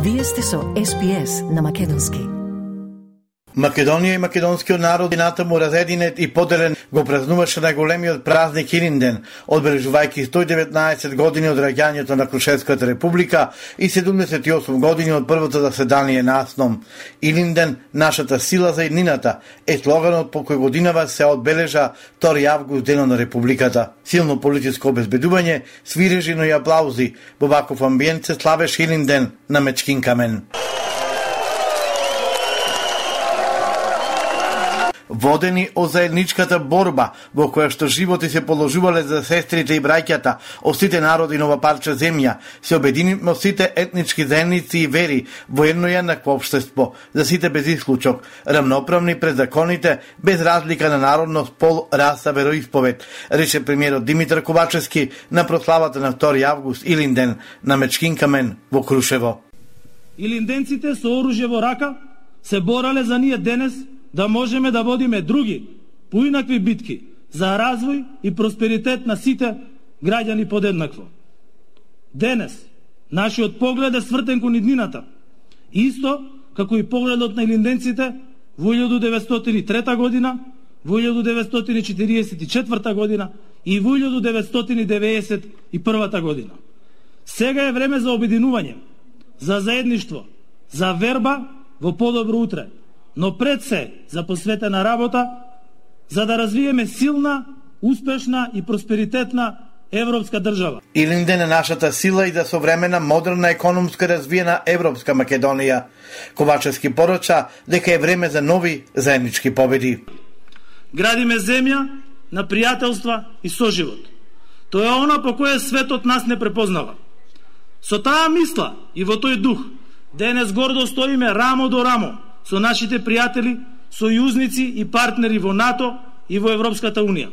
Вие сте со SPS на македонски. Македонија и македонскиот народ ината му разединет и поделен го празнуваше најголемиот празник Илинден, одбележувајќи 119 години од раѓањето на Крушевската република и 78 години од првото заседание на АСНОМ. Илинден, нашата сила за иднината, е слоганот по кој годинава се одбележа 2 август денот на републиката. Силно политичко обезбедување, свирежи, но и аплаузи. Во ваков амбиент се славеше Илинден на Мечкин камен. Водени од заедничката борба во која што животи се положувале за сестрите и браќата од сите народи на ова парче земја, се обединивме сите етнички заедници и вери во едно еднакво општество, за сите без исклучок, рамноправни пред законите, без разлика на народност, пол, раса, вероисповед, рече премиерот Димитар Ковачевски на прославата на 2 август Илинден на Мечкин камен во Крушево. Илинденците со оружје во рака се борале за ние денес да можеме да водиме други, поинакви битки за развој и просперитет на сите граѓани подеднакво. Денес, нашиот поглед е свртен кон иднината, исто како и погледот на илинденците во 1903 година, во 1944 година и во 1991 година. Сега е време за обединување, за заедништво, за верба во подобро утре, но пред се за посветена работа, за да развиеме силна, успешна и просперитетна европска држава. Илинден е нашата сила и за современа, модерна, економска развиена европска Македонија. Ковачевски порача дека е време за нови заеднички победи. Градиме земја на пријателства и соживот. Тоа е она по кое светот нас не препознава. Со таа мисла и во тој дух, денес гордо стоиме рамо до рамо со нашите пријатели, сојузници и партнери во НАТО и во Европската Унија.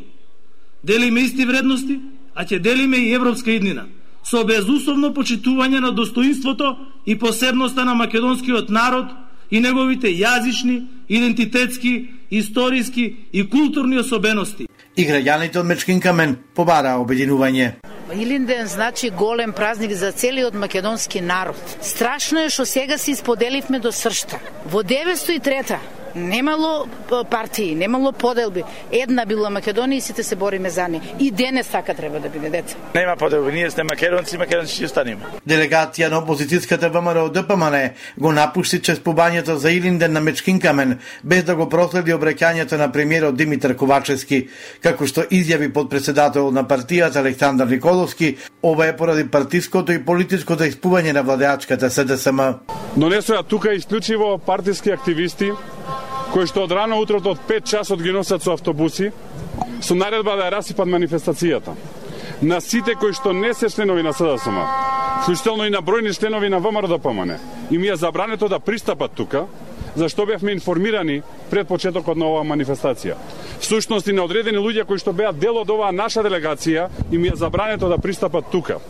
Делиме исти вредности, а ќе делиме и европска иднина, со безусловно почитување на достоинството и посебноста на македонскиот народ и неговите јазични, идентитетски, историски и културни особености. И граѓаните од Мечкин камен побараа обединување. Илинден значи голем празник за целиот македонски народ. Страшно е што сега се исподеливме до сршта. Во 903 немало партии, немало поделби. Една била Македонија и сите се бориме за неа. И денес така треба да биде, деца. Нема поделби, ние сме македонци, македонци ќе останеме. Делегација на опозицијската ВМРО ДПМН го напушти чествувањето за Илинден на Мечкин камен, без да го проследи обраќањето на премиерот Димитар Ковачевски, како што изјави подпредседател на партијата Александар Николовски, ова е поради партиското и политичкото испување на владеачката СДСМ. Донесоа тука исклучиво партиски активисти кои што од рано утрото од 5 часот ги носат со автобуси, со наредба да ја расипат манифестацијата. На сите кои што не се членови на СДСМ, вклучително и на бројни членови на ВМРО ДПМН, им е забрането да пристапат тука, зашто бевме информирани пред почетокот на оваа манифестација. Всушност и на одредени луѓе кои што беа дел од оваа наша делегација, им е забрането да пристапат тука.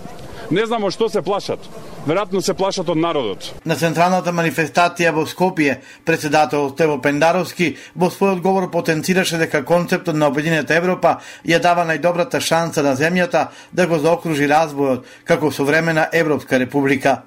Не знамо што се плашат. Веројатно се плашат од народот. На централната манифестација во Скопје, председател Стево Пендаровски во својот говор потенцираше дека концептот на Обединета Европа ја дава најдобрата шанса на земјата да го заокружи развојот како современа Европска република.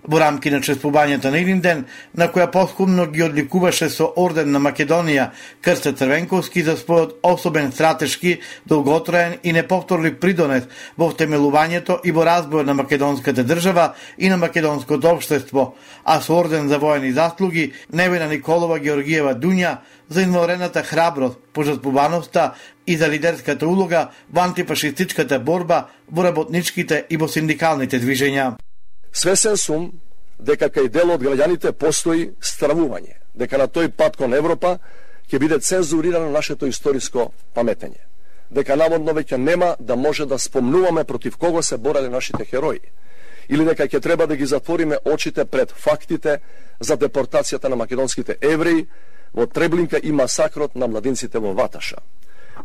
Во рамки на чествувањето на Илинден, на која поскумно ги одликуваше со орден на Македонија Крсте Црвенковски за својот особен стратешки, долготраен и неповторлив придонес во втемелувањето и во развојот на македонската држава и на македонското општество, а со орден за воени заслуги Невена Николова Георгиева Дуња за извонредната храброст, пожртвуваноста и за лидерската улога во антифашистичката борба во работничките и во синдикалните движења. Свесен сум дека кај дел од граѓаните постои стравување, дека на тој пат кон Европа ќе биде цензурирано нашето историско паметење, дека наводно веќе нема да може да спомнуваме против кого се бореле нашите херои, или дека ќе треба да ги затвориме очите пред фактите за депортацијата на македонските евреи во Треблинка и масакрот на младинците во Ваташа.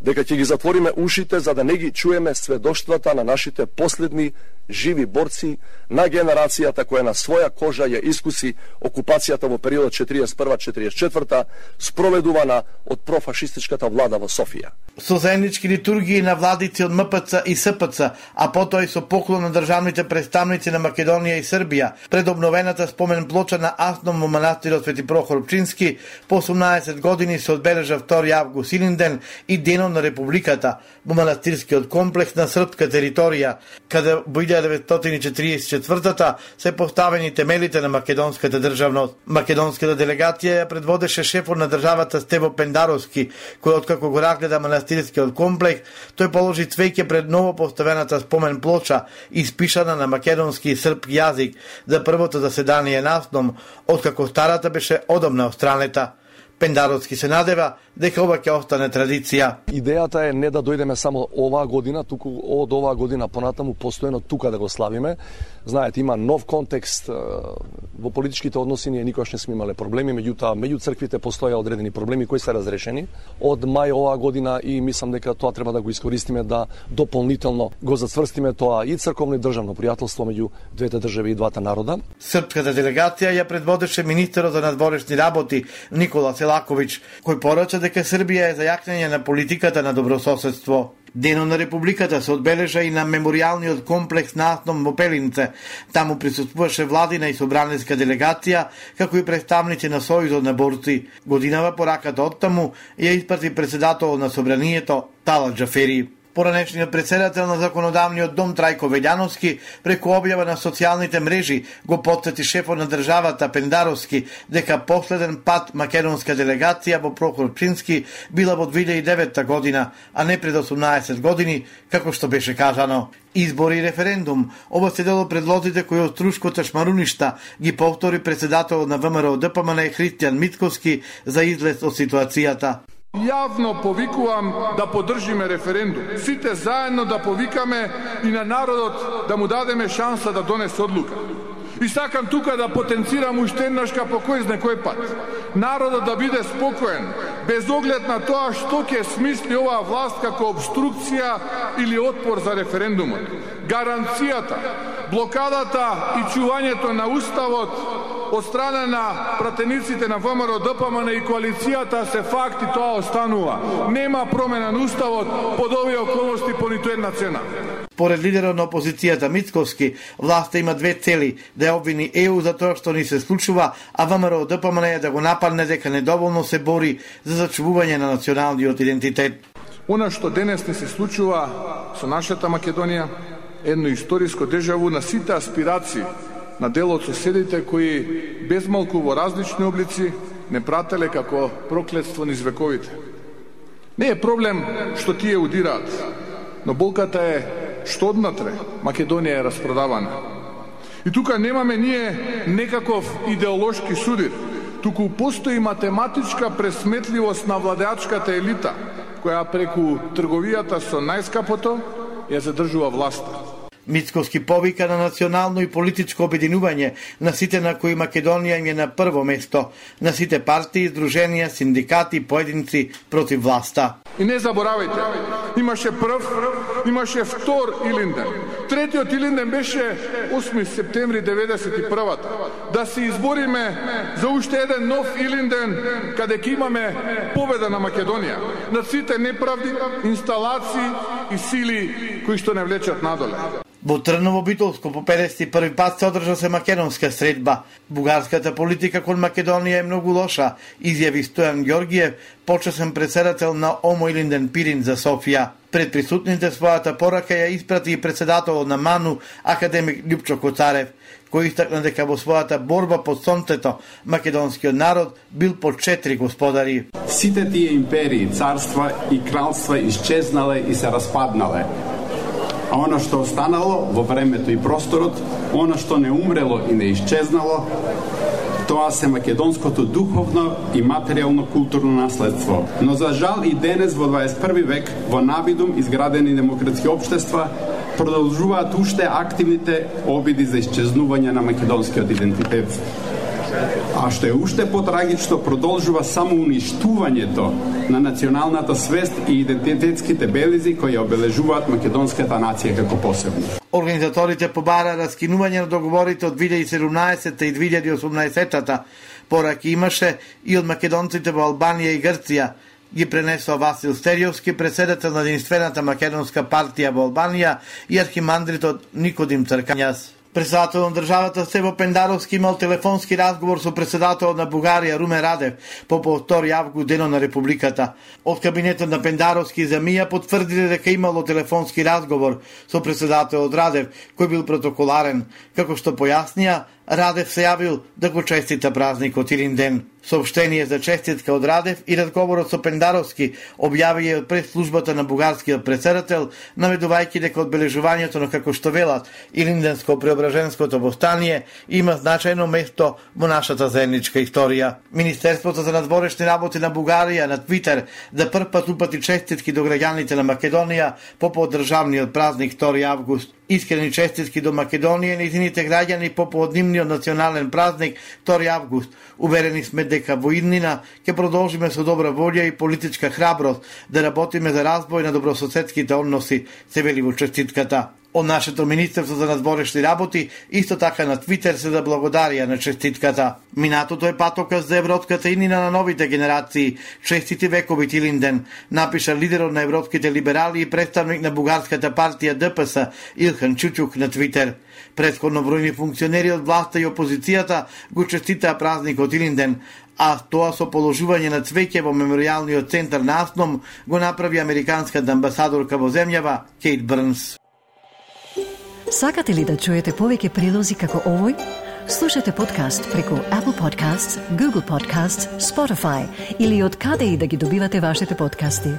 дека ќе ги затвориме ушите за да не ги чуеме сведоштвата на нашите последни живи борци, на генерацијата која на своја кожа ја искуси окупацијата во периодот 41-44, спроведувана од профашистичката влада во Софија. Со заеднички литургии на владици од МПЦ и СПЦ, а потоа и со поклон на државните представници на Македонија и Србија, пред обновената спомен плоча на Асном во манастирот Свети Прохор Пчински, по 18 години се одбележа 2 август Илинден и Денот на Републиката во манастирскиот комплекс на српска територија, каде во 1944 се поставени темелите на македонската државност. Македонската делегација ја предводеше шефот на државата Стево Пендаровски, кој откако го разгледа манастирскиот комплекс, тој положи цвеќе пред ново поставената спомен плоча, испишана на македонски и српски јазик, за првото заседание на Асном, откако старата беше одамна отстранета. Пендаровски се надева дека ова ќе остане традиција. Идејата е не да дојдеме само оваа година, туку од оваа година понатаму постојано тука да го славиме. Знаете, има нов контекст во политичките односи, ние никогаш не сме имале проблеми, меѓутоа меѓу црквите постоја одредени проблеми кои се разрешени од мај оваа година и мислам дека тоа треба да го искористиме да дополнително го зацврстиме тоа и црковно и државно пријателство меѓу двете држави и двата народа. Српската делегација ја предводеше министерот за надворешни работи Никола Селаковиќ, кој порача дека Србија е за јакнење на политиката на добрососедство. Денот на Републиката се одбележа и на меморијалниот комплекс на Асном во Пелинце. Таму присуствуваше владина и собраниска делегација, како и представници на Сојузот на борци. Годинава пораката оттаму ја испрати председател на собранието Талат Џафери. Поранешниот председател на Законодавниот дом Трајко Велјановски преку објава на социјалните мрежи го потсети шефот на државата Пендаровски дека последен пат македонска делегација во Прохор Пчински била во 2009 година, а не пред 18 години, како што беше кажано. Избори и референдум, ова се дел од предлозите кои од Трушкото шмаруништа ги повтори председател на ВМРО ДПМН Христијан Мицковски за излез од ситуацијата. Јавно повикувам да поддржиме референдум. Сите заедно да повикаме и на народот да му дадеме шанса да донесе одлука. И сакам тука да потенцирам уште еднаш по кој знае кој пат. Народот да биде спокоен, без оглед на тоа што ќе смисли оваа власт како обструкција или отпор за референдумот. Гаранцијата, блокадата и чувањето на уставот од страна на пратениците на ВМРО ДПМН и коалицијата се факти, тоа останува. Нема промена на уставот под овие околности по ниту една цена. Според лидерот на опозицијата Мицковски, власта има две цели: да ја обвини ЕУ за тоа што ни се случува, а ВМРО ДПМН е да го нападне дека недоволно се бори за зачувување на националниот идентитет. Она што денес не се случува со нашата Македонија, едно историско дежаву на сите аспирации на дел од соседите кои безмалку во различни облици не прателе како проклетство низ вековите. Не е проблем што тие удираат, но болката е што однатре Македонија е распродавана. И тука немаме ние некаков идеолошки судир, туку постои математичка пресметливост на владеачката елита, која преку трговијата со најскапото ја задржува власта. Мицковски повика на национално и политичко обединување на сите на кои Македонија им е на прво место, на сите партии, здруженија, синдикати и поединци против власта. И не заборавајте, имаше прв, имаше втор Илинден. Третиот Илинден беше 8 септември 91-та. Да се избориме за уште еден нов Илинден, каде ќе имаме победа на Македонија над сите неправди, инсталации и сили кои што не влечат надоле. Во Трново Битолско по 51 пат се одржа се македонска средба. Бугарската политика кон Македонија е многу лоша, изјави Стојан Ѓоргиев, почесен председател на ОМО Илинден Пирин за Софија. Пред присутните својата порака ја испрати и председателот на МАНУ, академик Љупчо Коцарев, кој истакна дека во својата борба под сонцето македонскиот народ бил под 4 господари. Сите тие империи, царства и кралства исчезнале и се распаднале. А оно што останало во времето и просторот, оно што не умрело и не исчезнало, тоа се македонското духовно и материјално културно наследство. Но за жал и денес во 21 век во навидум изградени демократски општества продолжуваат уште активните обиди за исчезнување на македонскиот идентитет. А што е уште потрагично, продолжува само уништувањето на националната свест и идентитетските белези кои обележуваат македонската нација како посебна. Организаторите побара раскинување на договорите од 2017 и 2018-та, пораки имаше и од македонците во Албанија и Грција, ги пренесува Васил Стериовски, председател на Единствената македонска партија во Албанија и архимандритот Никодим Цркањас. Председател на државата Стево Пендаровски имал телефонски разговор со председателот на Бугарија Румен Радев по 2 август, денот на Републиката. Од кабинетот на Пендаровски и Замија потврдиле дека имало телефонски разговор со председателот Радев, кој бил протоколарен. Како што појаснија, Радев се јавил да го честита празникот Илинден. Сообщение за честитка од Радев и разговорот со Пендаровски објави од прес-службата на бугарскиот председател, наведувајќи дека одбележувањето на, како што велат, Илинденско-преображенското востание има значајно место во нашата заедничка историја. Министерството за надворешни работи на Бугарија на Твитер за прв пат упати честитки до граѓаните на Македонија по поддржавниот празник 2 август. Искрени честитки до Македонија и нејзините граѓани по однимниот национален празник 2 август. Уверени сме дека во иднина ќе продолжиме со добра волја и политичка храброст да работиме за развој на добрососедските односи, се вели во честитката. Од нашето Министерство за надворешни работи исто така на Твитер се заблагодарија на честитката. Минатото е патоказ за европската иднина на новите генерации. Честити векови Илинден, напиша лидерот на европските либерали и представник на бугарската партија ДПС Илхан Чучук на Твитер. Претходно бројни функционери од власта и опозицијата го честитаа празникот Илинден, а тоа со положување на цвеќе во меморијалниот центар на Асном го направи американската амбасадорка во земјава Кейт Брнс. Сакате ли да чуете повеќе прилози како овој? Слушате подкаст преку Apple Podcasts, Google Podcasts, Spotify или од каде и да ги добивате вашите подкасти.